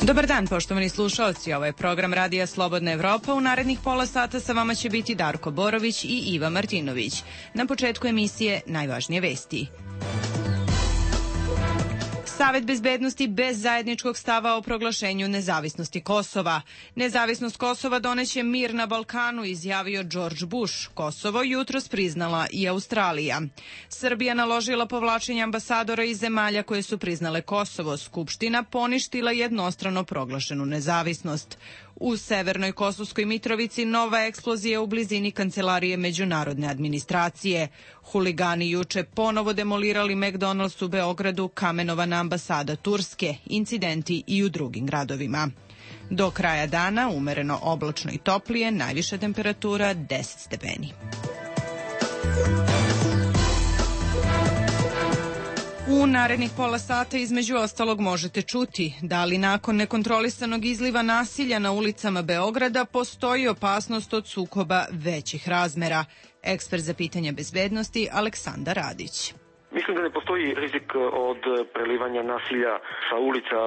Dobar dan, poštovani slušaoci. Ovo je program Radija Slobodna Evropa. U narednih pola sata sa vama će biti Darko Borović i Iva Martinović. Na početku emisije najvažnije vesti. Savet bezbednosti bez zajedničkog stava o proglašenju nezavisnosti Kosova. Nezavisnost Kosova doneće mir na Balkanu, izjavio George Bush. Kosovo jutros priznala i Australija. Srbija naložila povlačenje ambasadora iz zemalja koje su priznale Kosovo. Skupština poništila jednostrano proglašenu nezavisnost. U Severnoj Kosovskoj Mitrovici nova eksplozija u blizini kancelarije međunarodne administracije. Huligani juče ponovo demolirali McDonald's u Beogradu, kamenovana ambasada Turske, incidenti i u drugim gradovima. Do kraja dana umereno oblačno i toplije, najviša temperatura 10 stepeni. U narednih pola sata između ostalog možete čuti da li nakon nekontrolisanog izliva nasilja na ulicama Beograda postoji opasnost od sukoba većih razmera. Ekspert za pitanja bezbednosti Aleksandar Radić. Mislim da ne postoji rizik od prelivanja nasilja sa ulica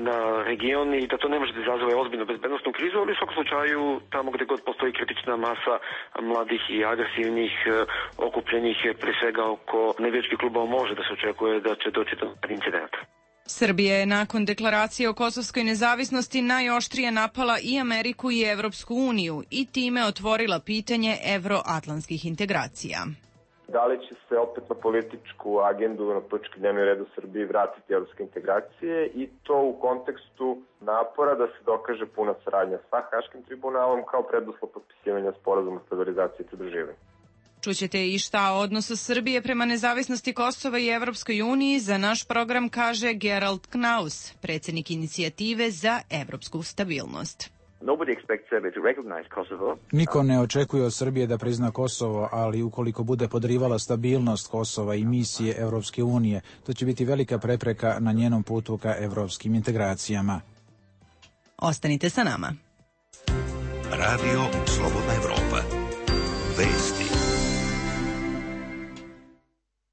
na region i da to ne može da izazove ozbiljnu bezbednostnu krizu, ali u svakom slučaju tamo gde god postoji kritična masa mladih i agresivnih okupljenih pre svega oko navijačkih klubova može da se očekuje da će doći do incidenta. Srbija je nakon deklaracije o kosovskoj nezavisnosti najoštrije napala i Ameriku i Evropsku uniju i time otvorila pitanje evroatlantskih integracija. Da li će se opet na političku agendu, na politički dnevni red u Srbiji vratiti evropske integracije i to u kontekstu napora da se dokaže puna saradnja sa Haškim tribunalom kao preduslov potpisivanja sporazuma o stabilizaciji i pridruživanju. Čućete i šta o odnosu Srbije prema nezavisnosti Kosova i Evropskoj uniji za naš program kaže Gerald Knaus, predsjednik inicijative za evropsku stabilnost. Niko ne očekuje od Srbije da prizna Kosovo, ali ukoliko bude podrivala stabilnost Kosova i misije Evropske unije, to će biti velika prepreka na njenom putu ka evropskim integracijama. Ostanite sa nama. Radio Slobodna Evropa. Vesti.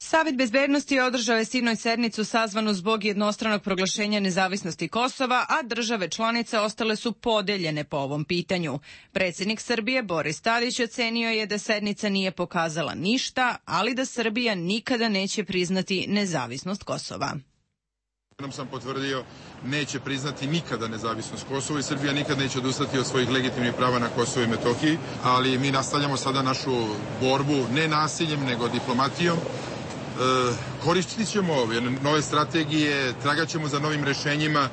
Savet bezbednosti održao je sinoć sednicu sazvanu zbog jednostranog proglašenja nezavisnosti Kosova, a države članice ostale su podeljene po ovom pitanju. Predsjednik Srbije Boris Tadić ocenio je da sednica nije pokazala ništa, ali da Srbija nikada neće priznati nezavisnost Kosova. Nam sam potvrdio, neće priznati nikada nezavisnost Kosova i Srbija nikad neće odustati od svojih legitimnih prava na Kosovo i Metohiji, ali mi nastavljamo sada našu borbu ne nasiljem nego diplomatijom. Koristit ćemo nove strategije, tragaćemo za novim rešenjima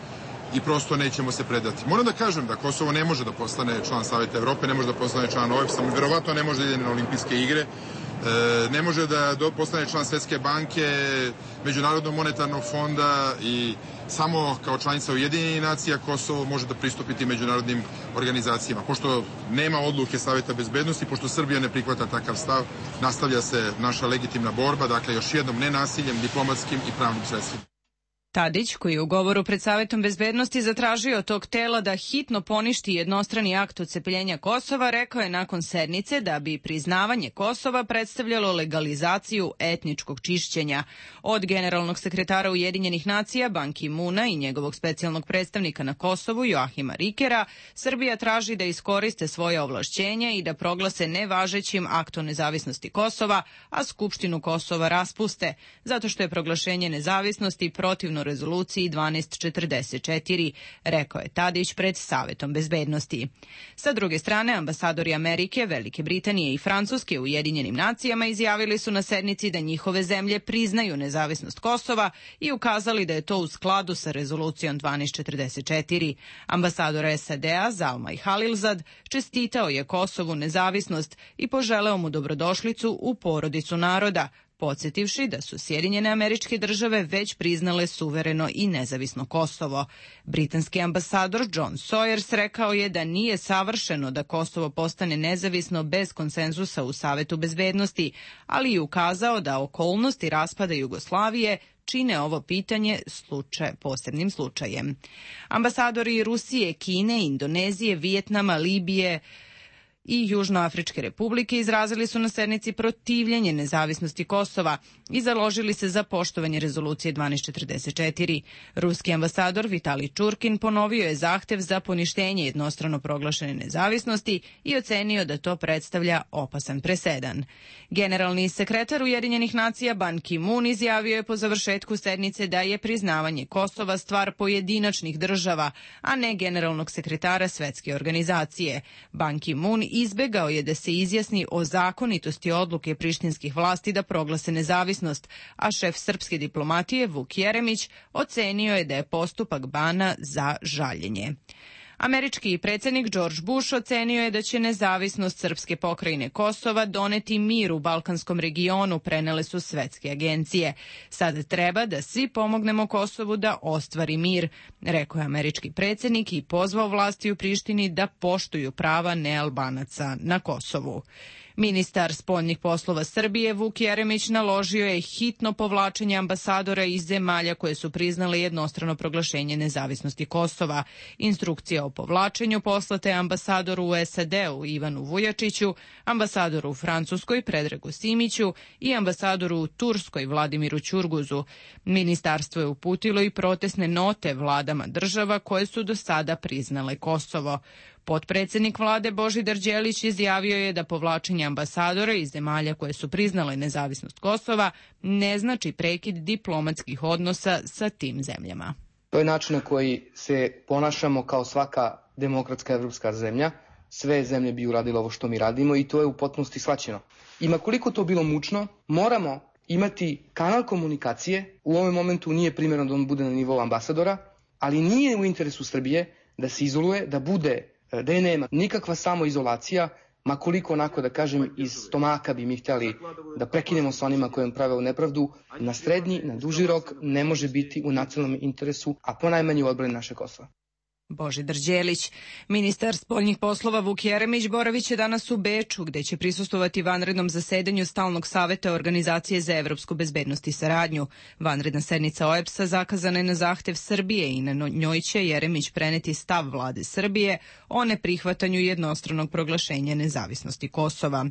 i prosto nećemo se predati. Moram da kažem da Kosovo ne može da postane član Saveta Evrope, ne može da postane član OEBS-a, verovatno ne može da ide na olimpijske igre, ne može da postane član Svetske banke, Međunarodnog monetarnog fonda i samo kao članica Ujedinjenih nacija Kosovo može da pristupiti međunarodnim organizacijama. Pošto nema odluke Saveta bezbednosti, pošto Srbija ne prihvata takav stav, nastavlja se naša legitimna borba, dakle još jednom nenasiljem, diplomatskim i pravnim sredstvima. Tadić, koji je u govoru pred Savetom bezbednosti zatražio tog tela da hitno poništi jednostrani akt odcepljenja Kosova, rekao je nakon sednice da bi priznavanje Kosova predstavljalo legalizaciju etničkog čišćenja. Od generalnog sekretara Ujedinjenih nacija Ban Ki-muna i njegovog specijalnog predstavnika na Kosovu Joahima Rikera, Srbija traži da iskoriste svoje ovlašćenje i da proglase nevažećim akt o nezavisnosti Kosova, a Skupštinu Kosova raspuste, zato što je proglašenje nezavisnosti protivno rezoluciji 1244, rekao je Tadić pred Savetom bezbednosti. Sa druge strane, ambasadori Amerike, Velike Britanije i Francuske u Ujedinjenim nacijama izjavili su na sednici da njihove zemlje priznaju nezavisnost Kosova i ukazali da je to u skladu sa rezolucijom 1244. Ambasador SAD-a Zalmay Khalilzad čestitao je Kosovu nezavisnost i poželeo mu dobrodošlicu u porodicu naroda, podsjetivši da su Sjedinjene Američke Države već priznale suvereno i nezavisno Kosovo. Britanski ambasador John Sawyers rekao je da nije savršeno da Kosovo postane nezavisno bez konsenzusa u Savetu bezbednosti, ali i ukazao da okolnosti raspada Jugoslavije čine ovo pitanje posebnim slučajem. Ambasadori Rusije, Kine, Indonezije, Vijetnama, Libije i Južnoafričke republike izrazili su na sednici protivljenje nezavisnosti Kosova i založili se za poštovanje rezolucije 1244. Ruski ambasador Vitalij Čurkin ponovio je zahtev za poništenje jednostrano proglašene nezavisnosti i ocenio da to predstavlja opasan presedan. Generalni sekretar Ujedinjenih nacija Ban Ki-moon izjavio je po završetku sednice da je priznavanje Kosova stvar pojedinačnih država, a ne generalnog sekretara Svetske organizacije. Ban Ki-moon izbegao je da se izjasni o zakonitosti odluke prištinskih vlasti da proglase nezavisnost, a šef srpske diplomatije Vuk Jeremić ocenio je da je postupak Bana za žaljenje. Američki predsjednik George Bush ocenio je da će nezavisnost srpske pokrajine Kosova doneti mir u balkanskom regionu, prenele su svetske agencije. Sad treba da svi pomognemo Kosovu da ostvari mir, rekao je američki predsjednik i pozvao vlasti u Prištini da poštuju prava nealbanaca na Kosovu. Ministar spoljnih poslova Srbije Vuk Jeremić naložio je hitno povlačenje ambasadora iz zemalja koje su priznale jednostrano proglašenje nezavisnosti Kosova. Instrukcija o povlačenju poslate ambasadoru u SAD-u Ivanu Vujačiću, ambasadoru u Francuskoj Predragu Simiću i ambasadoru u Turskoj Vladimiru Ćurguzu. Ministarstvo je uputilo i protestne note vladama država koje su do sada priznale Kosovo. Potpredsjednik vlade Božidar Đelić izjavio je da povlačenje ambasadora iz zemalja koje su priznale nezavisnost Kosova ne znači prekid diplomatskih odnosa sa tim zemljama. To je način na koji se ponašamo kao svaka demokratska evropska zemlja. Sve zemlje bi uradile ovo što mi radimo i to je u potpunosti shvaćeno. I ma koliko to bilo mučno, moramo imati kanal komunikacije. U ovom momentu nije primjerno da on bude na nivou ambasadora, ali nije u interesu Srbije da se izoluje, da je nema nikakva samoizolacija, ma koliko onako da kažem iz stomaka bi mi htjeli da prekinemo sa onima kojim prave u nepravdu, na srednji, na duži rok ne može biti u nacionalnom interesu, a ponajmanje u odbrani naše Kosova. Božidar Đelić. Ministar spoljnih poslova Vuk Jeremić boraviće danas u Beču, gde će prisustvovati vanrednom zasedanju Stalnog saveta Organizacije za evropsku bezbednost i saradnju. Vanredna sednica OEBS-a zakazana je na zahtev Srbije i na njoj će Jeremić preneti stav vlade Srbije o neprihvatanju jednostranog proglašenja nezavisnosti Kosova.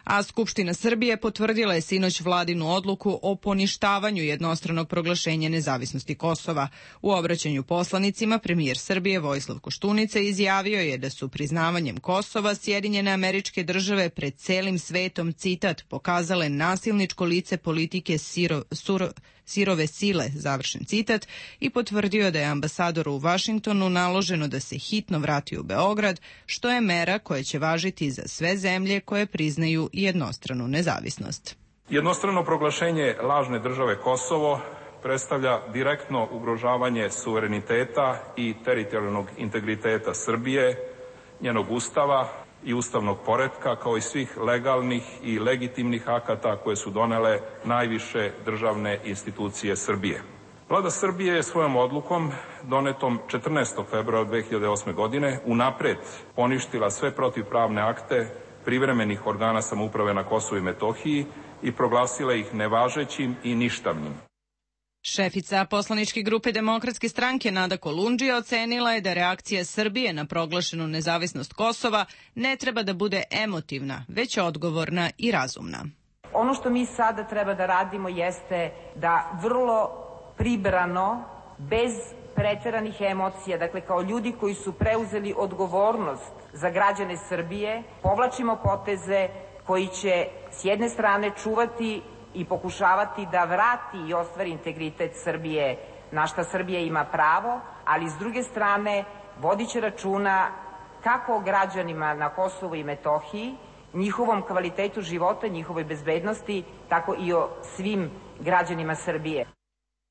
A Skupština Srbije potvrdila je sinoć vladinu odluku o poništavanju jednostranog proglašenja nezavisnosti Kosova. U obraćanju poslanicima premijer Srbije Vojislav Koštunica izjavio je da su priznavanjem Kosova Sjedinjene Američke Države pred celim svetom, citat, pokazale nasilničko lice politike sirove sile, završen citat, i potvrdio da je ambasadoru u Vašingtonu naloženo da se hitno vrati u Beograd, što je mera koja će važiti za sve zemlje koje priznaju jednostranu nezavisnost. Jednostrano proglašenje lažne države Kosovo predstavlja direktno ugrožavanje suvereniteta i teritorijalnog integriteta Srbije, njenog ustava i ustavnog poretka, kao i svih legalnih i legitimnih akata koje su donele najviše državne institucije Srbije. Vlada Srbije je svojom odlukom, donetom 14. februara 2008. godine, unapred poništila sve protivpravne akte privremenih organa samouprave na Kosovu i Metohiji i proglasila ih nevažećim i ništavnim. Šefica poslaničke grupe Demokratske stranke Nada Kolundžija ocenila je da reakcija Srbije na proglašenu nezavisnost Kosova ne treba da bude emotivna, već odgovorna i razumna. Ono što mi sada treba da radimo jeste da vrlo pribrano, bez preteranih emocija, dakle kao ljudi koji su preuzeli odgovornost za građane Srbije, povlačimo poteze koji će s jedne strane čuvati i pokušavati da vrati i ostvari integritet Srbije, na šta Srbija ima pravo, ali s druge strane vodit će računa kako o građanima na Kosovu i Metohiji, njihovom kvalitetu života, njihovoj bezbednosti, tako i o svim građanima Srbije.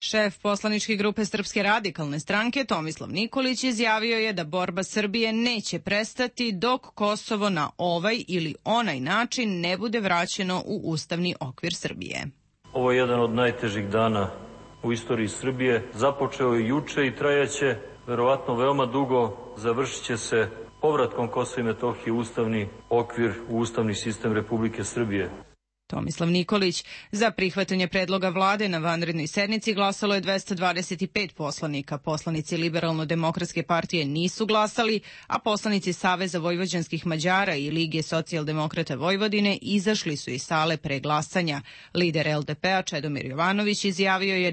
Šef poslaničke grupe Srpske radikalne stranke Tomislav Nikolić izjavio je da borba Srbije neće prestati dok Kosovo na ovaj ili onaj način ne bude vraćeno u ustavni okvir Srbije. Ovo je jedan od najtežih dana u istoriji Srbije. Započeo je juče i trajaće verovatno veoma dugo, završit će se povratkom Kosova i Metohije u ustavni okvir, u ustavni sistem Republike Srbije. Tomislav Nikolić. Za prihvatanje predloga vlade na vanrednoj sednici glasalo je 225 poslanika. Poslanici Liberalno-demokratske partije nisu glasali, a poslanici Saveza vojvođanskih Mađara i Lige socijaldemokrata Vojvodine izašli su iz sale pre glasanja. Lider LDP-a Čedomir Jovanović izjavio je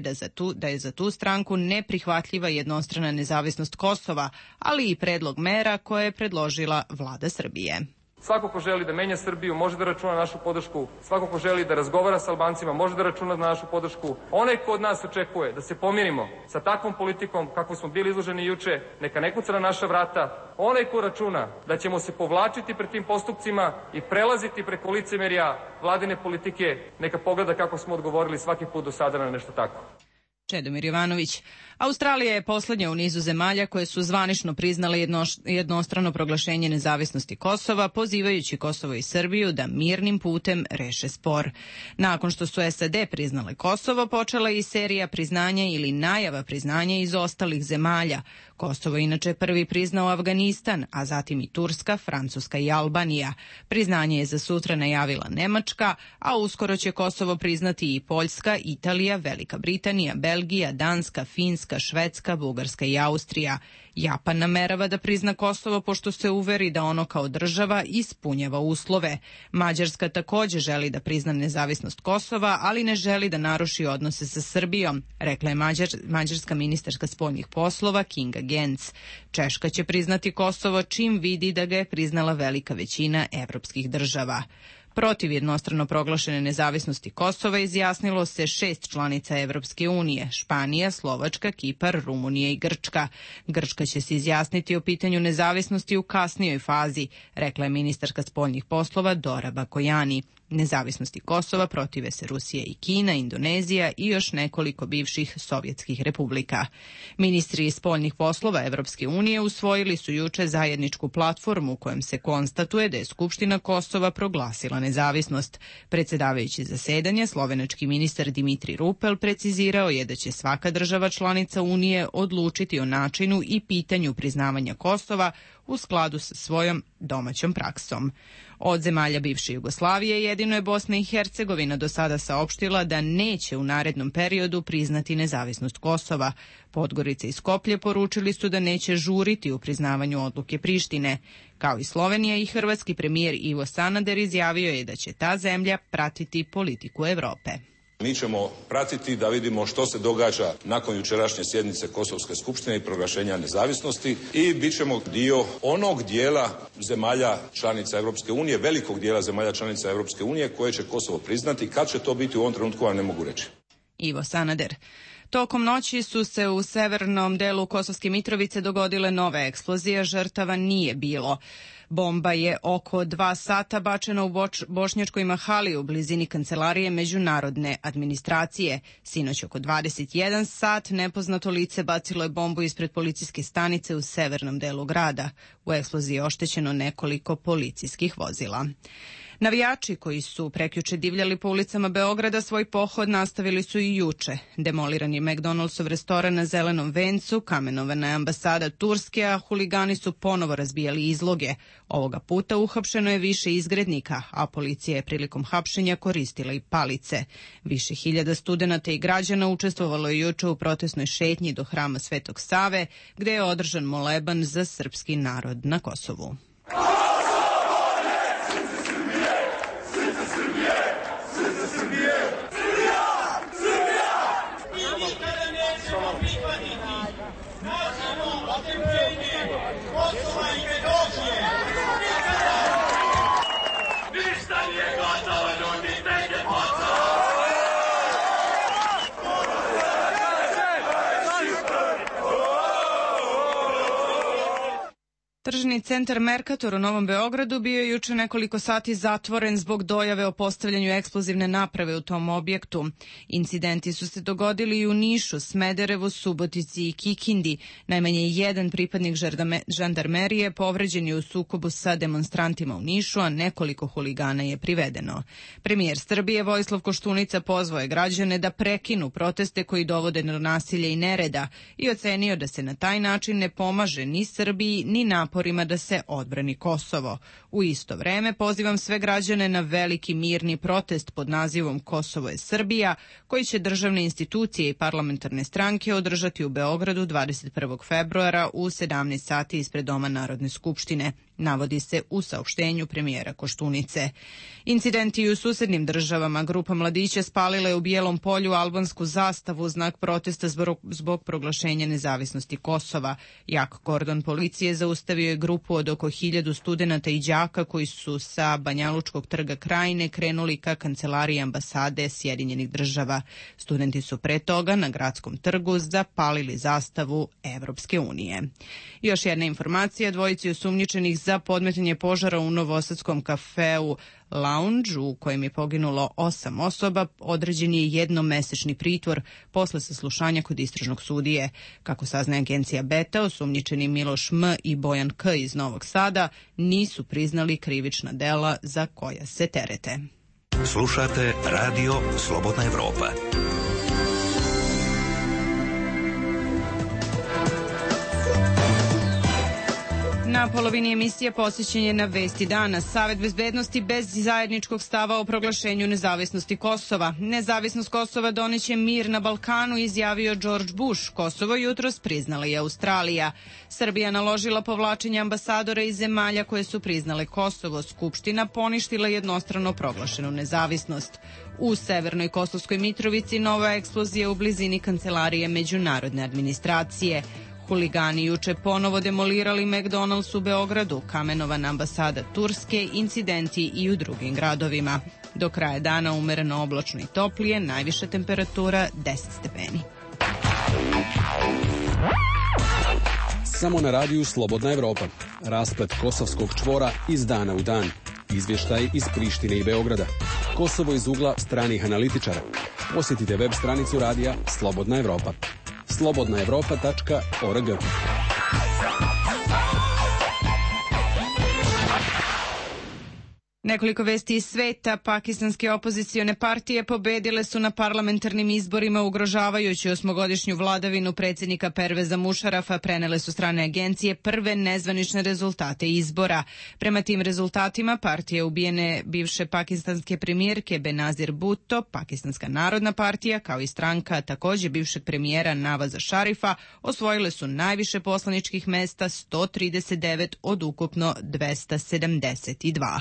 da je za tu stranku neprihvatljiva jednostrana nezavisnost Kosova, ali i predlog mera koje je predložila vlada Srbije. Svako ko želi da menja Srbiju može da računa na našu podršku. Svako ko želi da razgovara sa Albancima može da računa na našu podršku. Onaj ko od nas očekuje da se pomirimo sa takvom politikom kakvu smo bili izloženi juče, neka ne kuca na naša vrata. Onaj ko računa da ćemo se povlačiti pred tim postupcima i prelaziti preko licemerja vladine politike, neka pogleda kako smo odgovorili svaki put do sada na nešto tako. Čedomir Jovanović. Australija je poslednja u nizu zemalja koje su zvanično priznale jednostrano proglašenje nezavisnosti Kosova, pozivajući Kosovo i Srbiju da mirnim putem reše spor. Nakon što su SAD priznale Kosovo, počela je i serija priznanja ili najava priznanja iz ostalih zemalja. Kosovo inače prvi priznao Afganistan, a zatim i Turska, Francuska i Albanija. Priznanje je za sutra najavila Nemačka, a uskoro će Kosovo priznati i Poljska, Italija, Velika Britanija, Belgija, Danska, Finska, Švedska, Bugarska i Austrija. Japan namerava da prizna Kosovo pošto se uveri da ono kao država ispunjava uslove. Mađarska takođe želi da prizna nezavisnost Kosova, ali ne želi da naruši odnose sa Srbijom, rekla je mađarska ministarka spoljnih poslova Kinga Gönc. Češka će priznati Kosovo čim vidi da ga je priznala velika većina evropskih država. Protiv jednostrano proglašene nezavisnosti Kosova izjasnilo se 6 članica Evropske unije: Španija, Slovačka, Kipar, Rumunija i Grčka. Grčka će se izjasniti o pitanju nezavisnosti u kasnijoj fazi, rekla je ministarka spoljnih poslova Dora Bakojani. Nezavisnosti Kosova protive se Rusija i Kina, Indonezija i još nekoliko bivših sovjetskih republika. Ministri spoljnih poslova Evropske unije usvojili su juče zajedničku platformu u kojem se konstatuje da je Skupština Kosova proglasila nezavisnost. Predsedavajući zasedanje, slovenački ministar Dimitri Rupel precizirao je da će svaka država članica Unije odlučiti o načinu i pitanju priznavanja Kosova u skladu sa svojom domaćom praksom. Od zemalja bivše Jugoslavije jedino je Bosna i Hercegovina do sada saopštila da neće u narednom periodu priznati nezavisnost Kosova. Podgorica i Skoplje poručili su da neće žuriti u priznavanju odluke Prištine. Kao i Slovenija, i hrvatski premijer Ivo Sanader izjavio je da će ta zemlja pratiti politiku Evrope. Mi ćemo pratiti da vidimo što se događa nakon jučerašnje sjednice Kosovske skupštine i proglašenja nezavisnosti i bit ćemo dio onog dijela zemalja članica Europske unije, velikog dijela zemalja članica Europske unije koje će Kosovo priznati. Kad će to biti u ovom trenutku, vam ne mogu reći. Ivo Sanader. Tokom noći su se u severnom delu Kosovske Mitrovice dogodile nove eksplozije, žrtava nije bilo. Bomba je oko 2 sata bačena u Bošnjačkoj Mahali u blizini kancelarije međunarodne administracije. Sinoć oko 21 sat nepoznato lice bacilo je bombu ispred policijske stanice u severnom delu grada. U eksploziji je oštećeno nekoliko policijskih vozila. Navijači koji su prekjuče divljali po ulicama Beograda svoj pohod nastavili su i juče. Demoliran je McDonald'sov restoran na Zelenom vencu, kamenovana je ambasada Turske, a huligani su ponovo razbijali izloge. Ovoga puta uhapšeno je više izgrednika, a policija je prilikom hapšenja koristila i palice. Više hiljada studenata i građana učestvovalo je juče u protestnoj šetnji do hrama Svetog Save, gde je održan moleban za srpski narod na Kosovu. Tržni centar Mercator u Novom Beogradu bio je juče nekoliko sati zatvoren zbog dojave o postavljanju eksplozivne naprave u tom objektu. Incidenti su se dogodili i u Nišu, Smederevu, Subotici i Kikindi. Najmanje jedan pripadnik žandarmerije povređen je u sukobu sa demonstrantima u Nišu, a nekoliko huligana je privedeno. Premijer Srbije Vojislav Koštunica pozvao je građane da prekinu proteste koji dovode do nasilja i nereda i ocenio da se na taj način ne pomaže ni Srbiji ni naporima naporima da se odbrani Kosovo. U isto vreme pozivam sve građane na veliki mirni protest pod nazivom Kosovo je Srbija, koji će državne institucije i parlamentarne stranke održati u Beogradu 21. februara u 17 sati ispred Doma Narodne skupštine, navodi se u saopštenju premijera Koštunice. Incidenti u susednim državama, grupa mladića spalila je u Bijelom Polju albansku zastavu, znak protesta zbog proglašenja nezavisnosti Kosova. Jak kordon policije zaustavio je grupu od oko 1000 studenata i đaka koji su sa Banjalučkog trga Krajine krenuli ka kancelariji ambasade Sjedinjenih država. Studenti su pre toga na gradskom trgu zapalili zastavu Evropske unije. Još jedna informacija, dvojici osumnjičenih za podmetanje požara u novosadskom kafeu Lounge, u kojem je poginulo 8 osoba, određen je jednomesečni pritvor posle saslušanja kod istražnog sudije. Kako saznaje agencija Beta, osumnjičeni Miloš M. i Bojan K. iz Novog Sada nisu priznali krivična dela za koja se terete. Slušate Radio Slobodna Evropa. Na polovini emisije posjećen je na Vesti dana. Savet bezbednosti bez zajedničkog stava o proglašenju nezavisnosti Kosova. Nezavisnost Kosova doneće mir na Balkanu, izjavio George Bush. Kosovo jutros priznala i Australija. Srbija naložila povlačenje ambasadora iz zemalja koje su priznale Kosovo. Skupština poništila jednostrano proglašenu nezavisnost. U Severnoj Kosovskoj Mitrovici nova eksplozija u blizini kancelarije međunarodne administracije. Huligani juče ponovo demolirali McDonald's u Beogradu, kamenovana ambasada Turske, incidenti i u drugim gradovima. Do kraja dana umereno oblačno i toplije, najviša temperatura 10 stepeni. Samo na radiju Slobodna Evropa. Rasplet kosovskog čvora iz dana u dan. Izvještaj iz Prištine i Beograda. Kosovo iz ugla stranih analitičara. Posjetite web stranicu radija Slobodna Evropa. slobodnaevropa.org. Nekoliko vesti iz sveta. Pakistanske opozicione partije pobedile su na parlamentarnim izborima ugrožavajući 8-godišnju vladavinu predsjednika Perveza Mušarafa, prenele su strane agencije prve nezvanične rezultate izbora. Prema tim rezultatima partije ubijene bivše pakistanske premijerke Benazir Bhutto, Pakistanska narodna partija, kao i stranka također bivšeg premijera Navaza Šarifa, osvojile su najviše poslaničkih mesta, 139 od ukupno 272.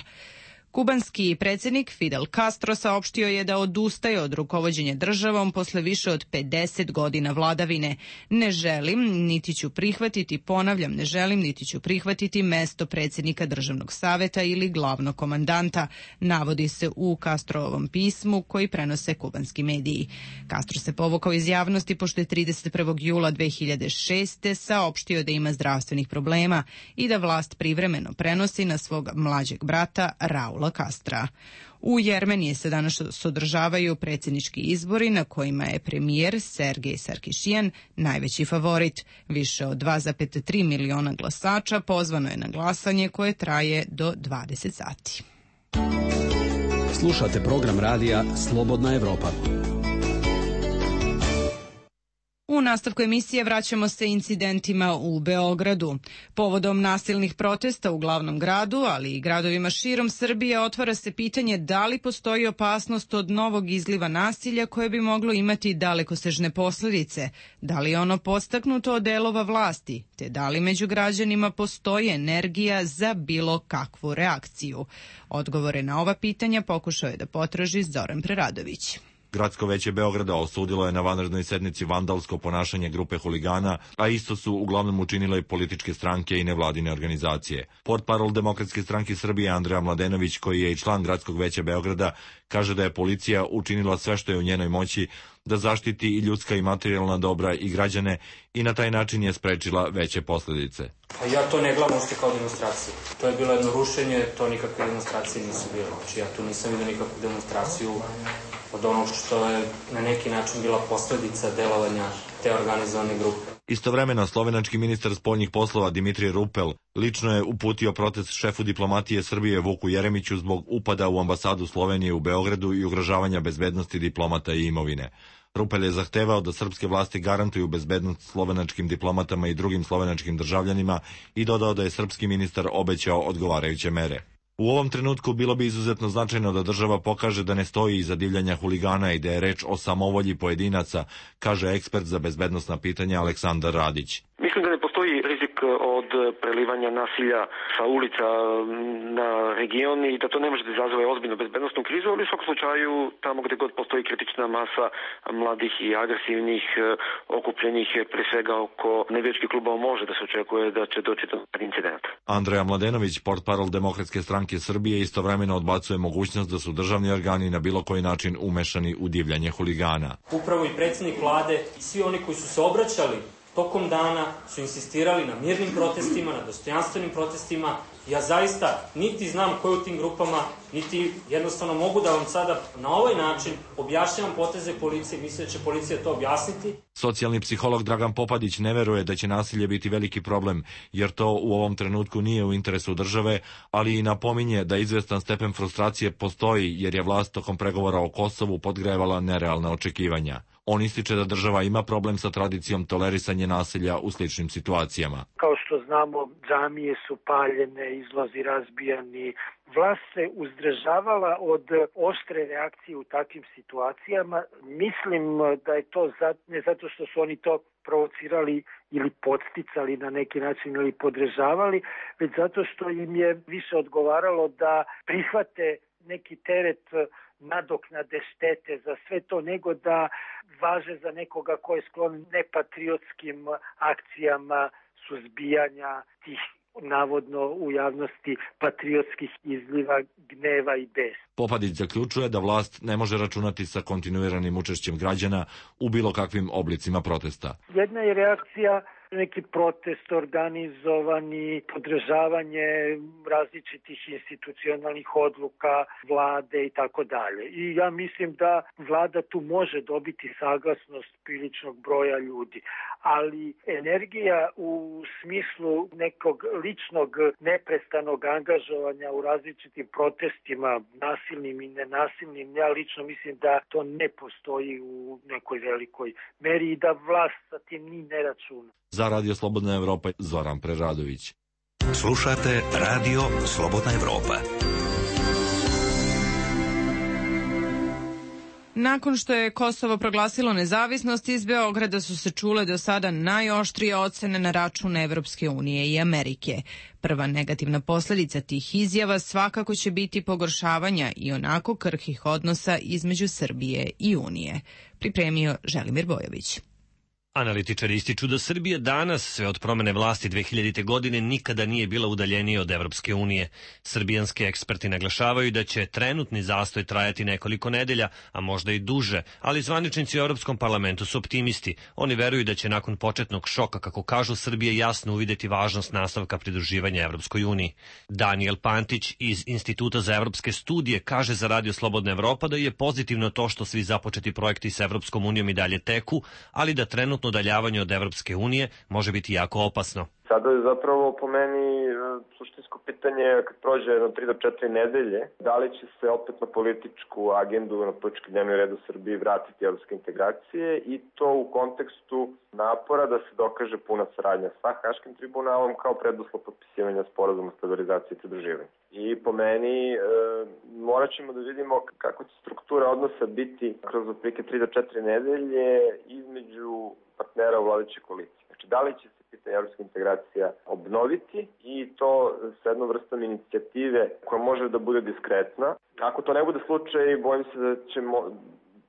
Kubanski predsjednik Fidel Castro saopštio je da odustaje od rukovođenja državom posle više od 50 godina vladavine. Ne želim, niti ću prihvatiti, ponavljam, ne želim, niti ću prihvatiti mesto predsjednika državnog saveta ili glavnog komandanta, navodi se u Castrovom pismu koji prenose kubanski mediji. Castro se povukao iz javnosti pošto je 31. jula 2006. saopštio da ima zdravstvenih problema i da vlast privremeno prenosi na svog mlađeg brata Raula Castra. U Jermeniji se danas održavaju predsjednički izbori na kojima je premijer Sergej Sarkišijan najveći favorit. Više od 2,3 miliona glasača pozvano je na glasanje koje traje do 20 sati. Slušate program radija Slobodna Evropa. U nastavku emisije vraćamo se incidentima u Beogradu. Povodom nasilnih protesta u glavnom gradu, ali i gradovima širom Srbije, otvara se pitanje da li postoji opasnost od novog izliva nasilja koje bi moglo imati dalekosežne posljedice, da li je ono podstaknuto od delova vlasti, te da li među građanima postoji energija za bilo kakvu reakciju. Odgovore na ova pitanja pokušao je da potraži Zoran Preradović. Gradsko veće Beograda osudilo je na vanrednoj sednici vandalsko ponašanje grupe huligana, a isto su uglavnom učinile političke stranke i nevladine organizacije. Portparol Demokratske stranke Srbije Andreja Mladenović, koji je i član Gradskog veća Beograda, kaže da je policija učinila sve što je u njenoj moći da zaštiti i ljudska i materijalna dobra i građane i na taj način je sprečila veće posljedice. Ja to ne gledam uopšte kao demonstraciju. To je bilo jedno rušenje, to nikakve demonstracije nisu bile. Znači ja tu nisam vidio nikakvu demonstraciju od onog što je na neki način bila posljedica delovanja te organizovane grupe. Istovremeno, slovenački ministar spoljnih poslova Dimitrije Rupel lično je uputio protest šefu diplomatije Srbije Vuku Jeremiću zbog upada u ambasadu Slovenije u Beogradu i ugrožavanja bezbednosti diplomata i imovine. Rupel je zahtevao da srpske vlasti garantuju bezbednost slovenačkim diplomatama i drugim slovenačkim državljanima i dodao da je srpski ministar obećao odgovarajuće mere. U ovom trenutku bilo bi izuzetno značajno da država pokaže da ne stoji iza divljanja huligana i da je reč o samovolji pojedinaca, kaže ekspert za bezbednosna pitanja Aleksandar Radić. Mislim da ne postoji rizik od prelivanja nasilja sa ulica na region i da to ne može da izazove ozbiljnu bezbednostnu krizu, ali u svakom slučaju tamo gde god postoji kritična masa mladih i agresivnih okupljenih pre svega oko navijačkih klubova može da se očekuje da će doći do incidenta. Andreja Mladenović, portparol Demokratske stranke Srbije, istovremeno odbacuje mogućnost da su državni organi na bilo koji način umešani u divljanje huligana. Upravo i predsjednik vlade i svi oni koji su se obraćali tokom dana su insistirali na mirnim protestima, na dostojanstvenim protestima. Ja zaista niti znam ko je u tim grupama, niti jednostavno mogu da vam sada na ovaj način objašnjavam poteze policije, mislim da će policija to objasniti. Socijalni psiholog Dragan Popadić ne veruje da će nasilje biti veliki problem, jer to u ovom trenutku nije u interesu države, ali i napominje da izvestan stepen frustracije postoji jer je vlast tokom pregovora o Kosovu podgrevala nerealna očekivanja. On ističe da država ima problem sa tradicijom tolerisanja nasilja u sličnim situacijama. Kao što znamo, džamije su paljene, izlazi razbijani. Vlast se uzdržavala od oštre reakcije u takvim situacijama. Mislim da je to ne zato što su oni to provocirali ili podsticali na neki način ili podržavali, već zato što im je više odgovaralo da prihvate neki teret nadoknade štete za sve to, nego da važe za nekoga ko je sklon nepatriotskim akcijama suzbijanja tih navodno u javnosti patriotskih izliva gneva i besa. Popadić zaključuje da vlast ne može računati sa kontinuiranim učešćem građana u bilo kakvim oblicima protesta. Jedna je reakcija neki protest organizovani, podržavanje različitih institucionalnih odluka, vlade i tako dalje. I ja mislim da vlada tu može dobiti saglasnost priličnog broja ljudi, ali energija u smislu nekog ličnog neprestanog angažovanja u različitim protestima, nasilnim i nenasilnim, ja lično mislim da to ne postoji u nekoj velikoj meri i da vlast sa tim ni ne računa. Za Radio Slobodna Evropa, Zoran Preradović. Slušate Radio Slobodna Evropa. Nakon što je Kosovo proglasilo nezavisnost, iz Beograda su se čule do sada najoštrije ocene na račun Evropske unije i Amerike. Prva negativna posljedica tih izjava svakako će biti pogoršavanja i onako krhkih odnosa između Srbije i Unije. Pripremio Želimir Bojović. Analitičari ističu da Srbija danas, sve od promene vlasti 2000. godine, nikada nije bila udaljenija od Evropske unije. Srbijanski eksperti naglašavaju da će trenutni zastoj trajati nekoliko nedelja, a možda i duže, ali zvaničnici u Europskom parlamentu su optimisti. Oni veruju da će nakon početnog šoka, kako kažu, Srbije jasno uvideti važnost nastavka pridruživanja Evropskoj uniji. Daniel Pantić iz Instituta za evropske studije kaže za Radio Slobodna Evropa da je pozitivno to što svi započeti projekti s Evropskom unijom i dalje teku, ali da trenutno udaljavanje od Evropske unije može biti jako opasno. Sada je zapravo po meni suštinsko pitanje kad prođe 3 do 4 nedelje, da li će se opet na političku agendu, na politički dnevni red u Srbiji vratiti evropske integracije i to u kontekstu napora da se dokaže puna saradnja sa Haškim tribunalom kao preduslov potpisivanja sporazuma o stabilizaciji i pridruživanju. I po meni morat ćemo da vidimo kako će struktura odnosa biti kroz otprilike 3 do 4 nedelje između partnera u vladajućoj koaliciji. Znači, da li će se pitanje evropske integracija obnoviti i to sa jednom vrstom inicijative koja može da bude diskretna. Ako to ne bude slučaj, bojim se da ćemo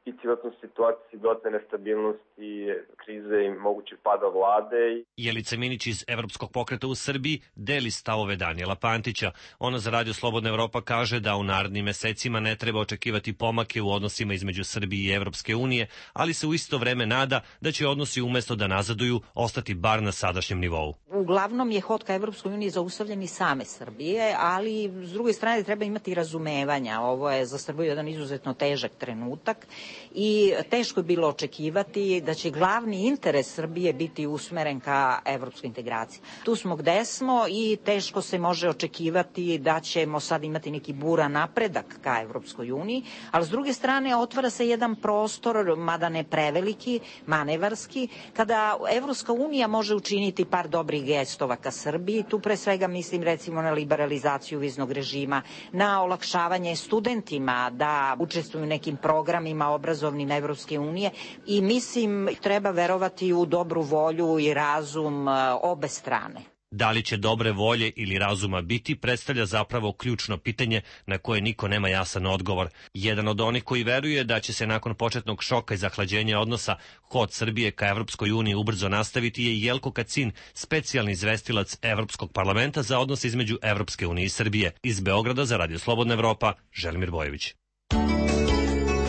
biti vjerojatno u situaciji dodatne nestabilnosti, krize i mogućeg pada vlade. Jelica Minić iz Evropskog pokreta u Srbiji deli stavove Danijela Pantića. Ona za Radio Slobodna Evropa kaže da u narednim mesecima ne treba očekivati pomake u odnosima između Srbije i Evropske unije, ali se u isto vreme nada da će odnosi umesto da nazaduju ostati bar na sadašnjem nivou. Uglavnom je hod ka Evropskoj uniji zaustavljen i same Srbije, ali s druge strane treba imati razumevanja. Ovo je za Srbiju jedan izuzetno težak trenutak i teško je bilo očekivati da će glavni interes Srbije biti usmeren ka evropskoj integraciji. Tu smo gde smo i teško se može očekivati da ćemo sad imati neki buran napredak ka Evropskoj uniji, ali s druge strane otvara se jedan prostor, mada ne preveliki, manevarski, kada Evropska unija može učiniti par dobrih gestova ka Srbiji. Tu pre svega mislim recimo na liberalizaciju viznog režima, na olakšavanje studentima da učestvuju u nekim programima obrazovnim Evropske unije i mislim treba verovati u dobru volju i razum obe strane. Da li će dobre volje ili razuma biti, predstavlja zapravo ključno pitanje na koje niko nema jasan odgovor. Jedan od onih koji veruje da će se nakon početnog šoka i zahlađenja odnosa hod Srbije ka Evropskoj uniji ubrzo nastaviti je Jelko Kacin, specijalni izvestilac Evropskog parlamenta za odnose između Evropske unije i Srbije. Iz Beograda za Radio Slobodna Evropa, Želimir Bojović.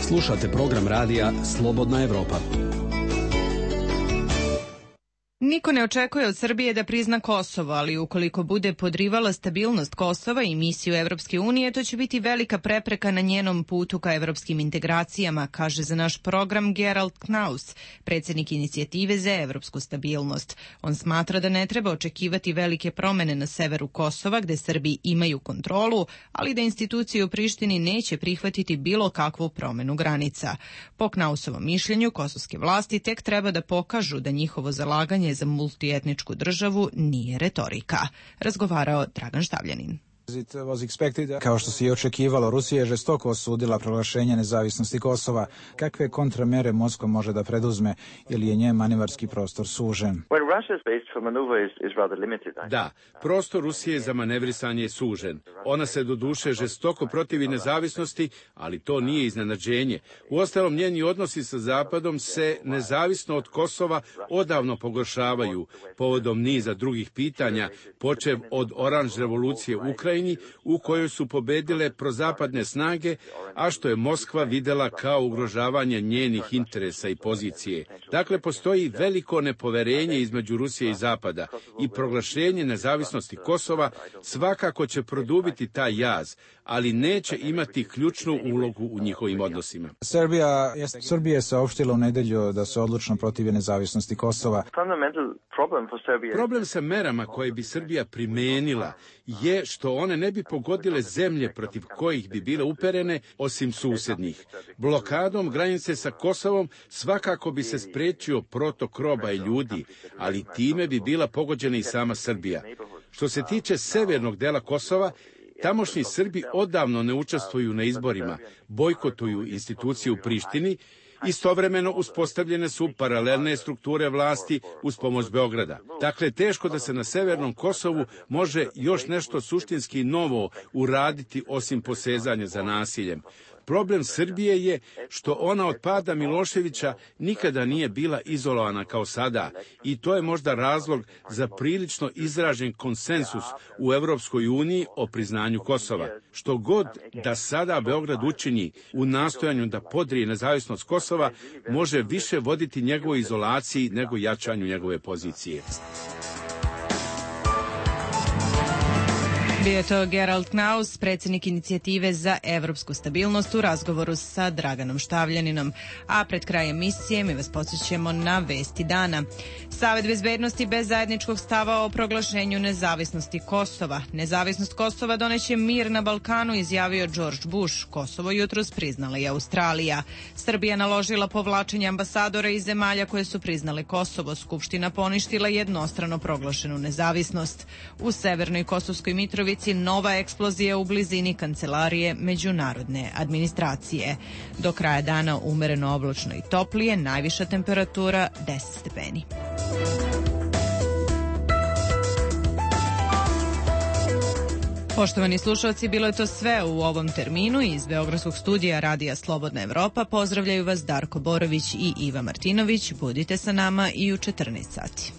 Slušate program radija Slobodna Evropa. Niko ne očekuje od Srbije da prizna Kosovo, ali ukoliko bude podrivala stabilnost Kosova i misiju Evropske unije, to će biti velika prepreka na njenom putu ka evropskim integracijama, kaže za naš program Gerald Knaus, predsjednik inicijative za evropsku stabilnost. On smatra da ne treba očekivati velike promene na severu Kosova, gde Srbi imaju kontrolu, ali da institucije u Prištini neće prihvatiti bilo kakvu promenu granica. Po Knausovom mišljenju, kosovske vlasti tek treba da pokažu da njihovo zalaganje za multietničku državu nije retorika. Razgovarao Dragan Štavljanin. Kao što se i očekivalo, Rusija je žestoko osudila proglašenje nezavisnosti Kosova. Kakve kontramere Moskva može da preduzme ili je njen manevarski prostor sužen? Da, prostor Rusije za manevrisanje je sužen. Ona se doduše žestoko protivi nezavisnosti, ali to nije iznenađenje. Uostalom, njeni odnosi sa Zapadom se nezavisno od Kosova odavno pogoršavaju povodom niza drugih pitanja, počev od oranž revolucije u Ukrajini, u kojoj su pobedile prozapadne snage, a što je Moskva videla kao ugrožavanje njenih interesa i pozicije. Dakle, postoji veliko nepoverenje između Rusije i Zapada i proglašenje nezavisnosti Kosova svakako će produbiti taj jaz, ali neće imati ključnu ulogu u njihovim odnosima. Srbija je saopštila u nedelju da se odlučno protivi nezavisnosti Kosova. Problem sa merama koje bi Srbija primenila je što one ne bi pogodile zemlje protiv kojih bi bile uperene osim susjednih. Blokadom granice sa Kosovom svakako bi se sprečio protok roba i ljudi, ali time bi bila pogođena i sama Srbija. Što se tiče severnog dela Kosova, tamošnji Srbi odavno ne učestvuju na izborima, bojkotuju institucije u Prištini. Istovremeno uspostavljene su paralelne strukture vlasti uz pomoć Beograda. Dakle, teško da se na severnom Kosovu može još nešto suštinski novo uraditi osim posezanja za nasiljem. Problem Srbije je što ona od pada Miloševića nikada nije bila izolovana kao sada i to je možda razlog za prilično izražen konsensus u Evropskoj uniji o priznanju Kosova. Što god da sada Beograd učini u nastojanju da podrije nezavisnost Kosova, može više voditi njegovoj izolaciji nego jačanju njegove pozicije. Bio je to Gerald Knaus, predsjednik inicijative za evropsku stabilnost u razgovoru sa Draganom Štavljaninom. A pred kraj emisije mi vas podsjećamo na vesti dana. Savet bezbednosti bez zajedničkog stava o proglašenju nezavisnosti Kosova. Nezavisnost Kosova doneće mir na Balkanu, izjavio George Bush. Kosovo jutros priznala i Australija. Srbija naložila povlačenje ambasadora iz zemalja koje su priznale Kosovo. Skupština poništila jednostrano proglašenu nezavisnost. U severnoj Kosovskoj Mitrovici nova eksplozija u blizini kancelarije međunarodne administracije. Do kraja dana umereno oblačno i toplije, najviša temperatura 10 stepeni. Poštovani slušalci, bilo je to sve u ovom terminu. Iz Beogradskog studija Radija Slobodna Evropa pozdravljaju vas Darko Borović i Iva Martinović. Budite sa nama i u 14 sati.